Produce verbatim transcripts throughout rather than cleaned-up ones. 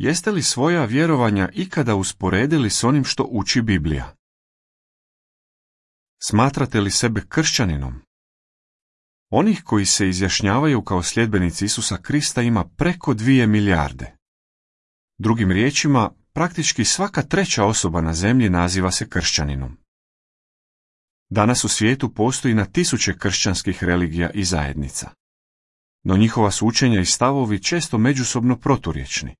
Jeste li svoja vjerovanja ikada usporedili s onim što uči Biblija? Smatrate li sebe kršćaninom? Onih koji se izjašnjavaju kao sljedbenici Isusa Krista ima preko dvije milijarde. Drugim riječima, praktički svaka treća osoba na zemlji naziva se kršćaninom. Danas u svijetu postoji na tisuće kršćanskih religija i zajednica. No njihova su učenja i stavovi često međusobno proturječni.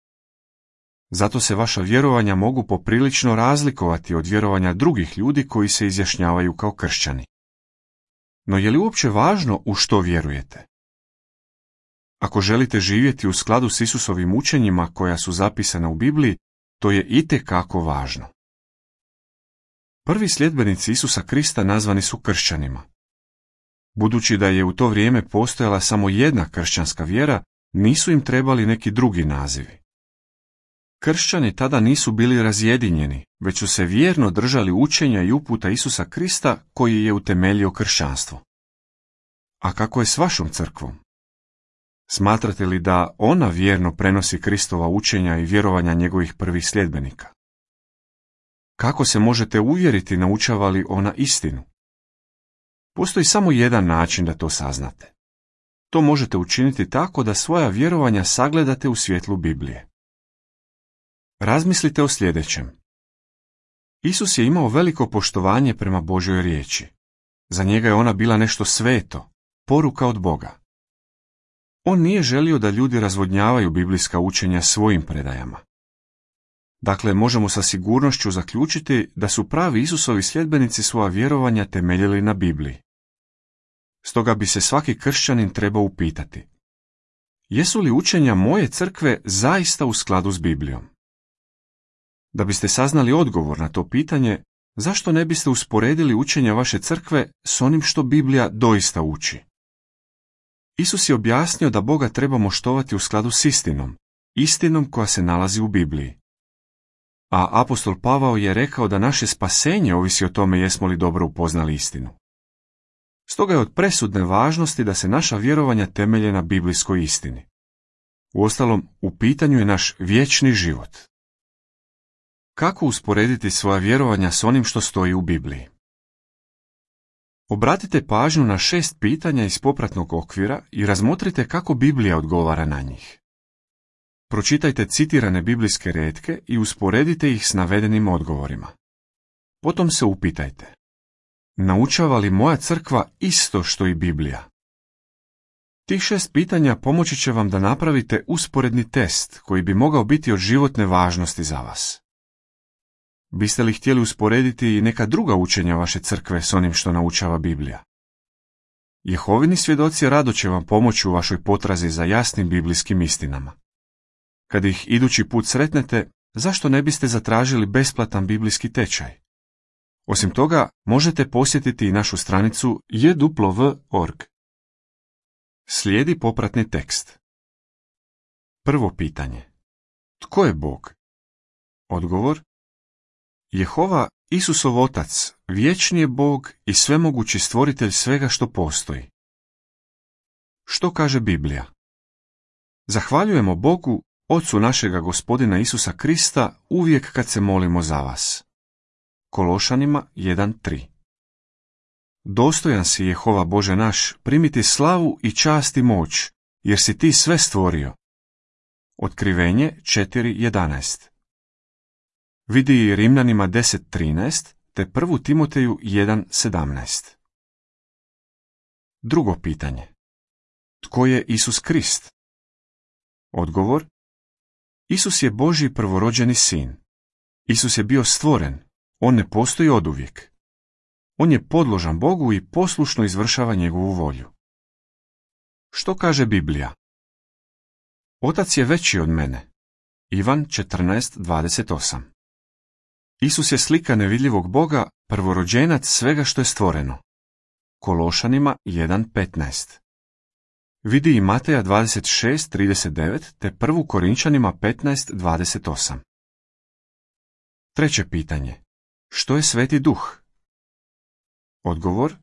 Zato se vaša vjerovanja mogu poprilično razlikovati od vjerovanja drugih ljudi koji se izjašnjavaju kao kršćani. No je li uopće važno u što vjerujete? Ako želite živjeti u skladu s Isusovim učenjima koja su zapisana u Bibliji, to je itekako važno. Prvi sljedbenici Isusa Krista nazvani su kršćanima. Budući da je u to vrijeme postojala samo jedna kršćanska vjera, nisu im trebali neki drugi nazivi. Kršćani tada nisu bili razjedinjeni, već su se vjerno držali učenja i uputa Isusa Krista koji je utemeljio kršćanstvo. A kako je s vašom crkvom? Smatrate li da ona vjerno prenosi Kristova učenja i vjerovanja njegovih prvih sljedbenika? Kako se možete uvjeriti naučava li ona istinu? Postoji samo jedan način da to saznate. To možete učiniti tako da svoja vjerovanja sagledate u svjetlu Biblije. Razmislite o sljedećem. Isus je imao veliko poštovanje prema Božjoj riječi. Za njega je ona bila nešto sveto, poruka od Boga. On nije želio da ljudi razvodnjavaju biblijska učenja svojim predajama. Dakle, možemo sa sigurnošću zaključiti da su pravi Isusovi sljedbenici svoja vjerovanja temeljili na Bibliji. Stoga bi se svaki kršćanin trebao upitati: jesu li učenja moje crkve zaista u skladu s Biblijom? Da biste saznali odgovor na to pitanje, zašto ne biste usporedili učenja vaše crkve s onim što Biblija doista uči? Isus je objasnio da Boga trebamo štovati u skladu s istinom, istinom koja se nalazi u Bibliji. A apostol Pavao je rekao da naše spasenje ovisi o tome jesmo li dobro upoznali istinu. Stoga je od presudne važnosti da se naša vjerovanja temelje na biblijskoj istini. Uostalom, u pitanju je naš vječni život. Kako usporediti svoja vjerovanja s onim što stoji u Bibliji? Obratite pažnju na šest pitanja iz popratnog okvira i razmotrite kako Biblija odgovara na njih. Pročitajte citirane biblijske retke i usporedite ih s navedenim odgovorima. Potom se upitajte: naučava li moja crkva isto što i Biblija? Tih šest pitanja pomoći će vam da napravite usporedni test koji bi mogao biti od životne važnosti za vas. Biste li htjeli usporediti i neka druga učenja vaše crkve s onim što naučava Biblija? Jehovini svjedoci rado će vam pomoći u vašoj potrazi za jasnim biblijskim istinama. Kad ih idući put sretnete, zašto ne biste zatražili besplatan biblijski tečaj? Osim toga, možete posjetiti i našu stranicu j w w w tačka org. Slijedi popratni tekst. Prvo pitanje. Tko je Bog? Odgovor: Jehova, Isusov Otac, vječni je Bog i svemogući stvoritelj svega što postoji. Što kaže Biblija? Zahvaljujemo Bogu, Ocu našega Gospodina Isusa Krista, uvijek kad se molimo za vas. Kološanima jedan tri. Dostojan si, Jehova Bože naš, primiti slavu i čast i moć, jer si ti sve stvorio. Otkrivenje četiri jedanaest. Vidi i Rimljanima deset trinaest te prvu Timoteju jedan sedamnaest. Drugo pitanje. Tko je Isus Krist? Odgovor: Isus je Božji prvorođeni sin. Isus je bio stvoren, on ne postoji oduvijek. On je podložan Bogu i poslušno izvršava njegovu volju. Što kaže Biblija? Otac je veći od mene. Ivan četrnaest dvadeset osam. Isus je slika nevidljivog Boga, prvorođenac svega što je stvoreno. Kološanima jedan petnaest. Vidi i Mateja dvadeset šest trideset devet te prvu Korinčanima petnaest dvadeset osam. Treće pitanje. Što je Sveti Duh? Odgovor: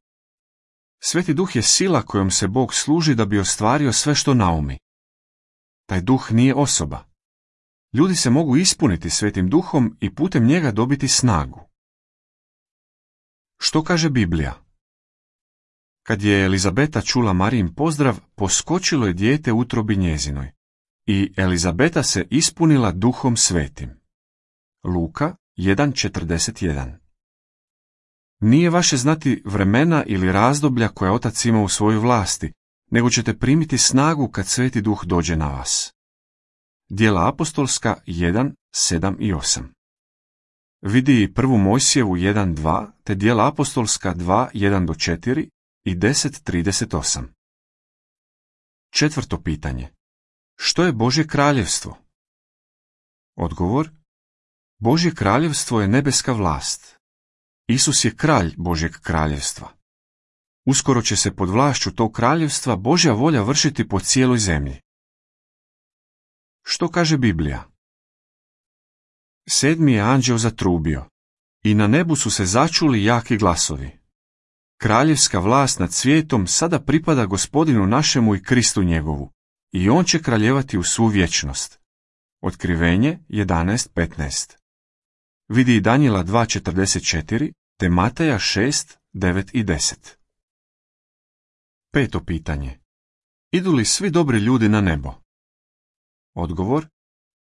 Sveti Duh je sila kojom se Bog služi da bi ostvario sve što naumi. Taj Duh nije osoba. Ljudi se mogu ispuniti Svetim Duhom i putem njega dobiti snagu. Što kaže Biblija? Kad je Elizabeta čula Marijin pozdrav, poskočilo je dijete u utrobi njezinoj. I Elizabeta se ispunila Duhom Svetim. Luka jedan četrdeset jedan. Nije vaše znati vremena ili razdoblja koje Otac ima u svojoj vlasti, nego ćete primiti snagu kad Sveti Duh dođe na vas. Djela apostolska jedan, sedam i osam. Vidi i prvu Mojsijevu jedan, dva, te Djela apostolska dva, jedan do četiri i deset trideset osam. Četvrto pitanje. Što je Božje kraljevstvo? Odgovor. Božje kraljevstvo je nebeska vlast. Isus je kralj Božjeg kraljevstva. Uskoro će se pod vlašću tog kraljevstva Božja volja vršiti po cijeloj zemlji. Što kaže Biblija? Sedmi je anđeo zatrubio i na nebu su se začuli jaki glasovi. Kraljevska vlast nad svijetom sada pripada Gospodinu našemu i Kristu njegovu, i on će kraljevati u svu vječnost. Otkrivenje jedanaest petnaest. Vidi i Danijela dva četrdeset četiri, te Mateja šest devet i deset. Peto pitanje. Idu li svi dobri ljudi na nebo? Odgovor.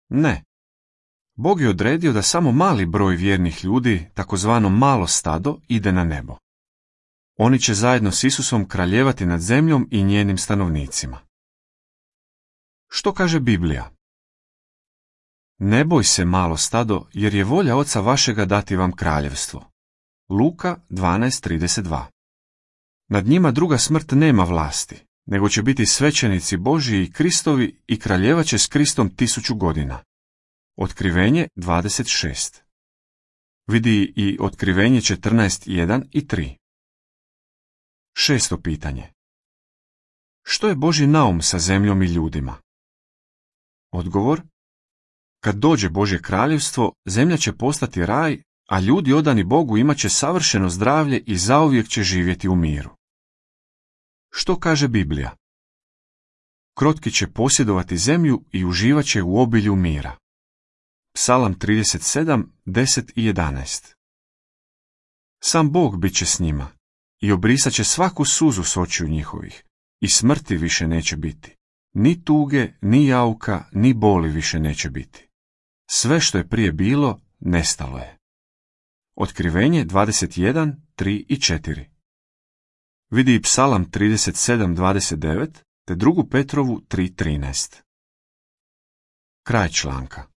Ne. Bog je odredio da samo mali broj vjernih ljudi, takozvano malo stado, ide na nebo. Oni će zajedno s Isusom kraljevati nad zemljom i njenim stanovnicima. Što kaže Biblija? Ne boj se, malo stado, jer je volja Oca vašega dati vam kraljevstvo. Luka dvanaest trideset dva. Nad njima druga smrt nema vlasti, nego će biti svećenici Božji i Kristovi i kraljevat će s Kristom tisuću godina. Otkrivenje dvadeset šest. Vidi i Otkrivenje četrnaest jedan i tri. Šesto pitanje. Što je Božji naum sa zemljom i ljudima? Odgovor. Kad dođe Božje kraljevstvo, zemlja će postati raj, a ljudi odani Bogu imat će savršeno zdravlje i zauvijek će živjeti u miru. Što kaže Biblija? Krotki će posjedovati zemlju i uživat će u obilju mira. Psalam trideset sedam, deset i jedanaest. Sam Bog bit će s njima i obrisat će svaku suzu s očiju njihovih, i smrti više neće biti. Ni tuge, ni jauka, ni boli više neće biti. Sve što je prije bilo, nestalo je. Otkrivenje dvadeset jedan, tri i četiri. Vidi i Psalam trideset sedam, dvadeset devet, te drugu Petrovu tri trinaest. Kraj članka.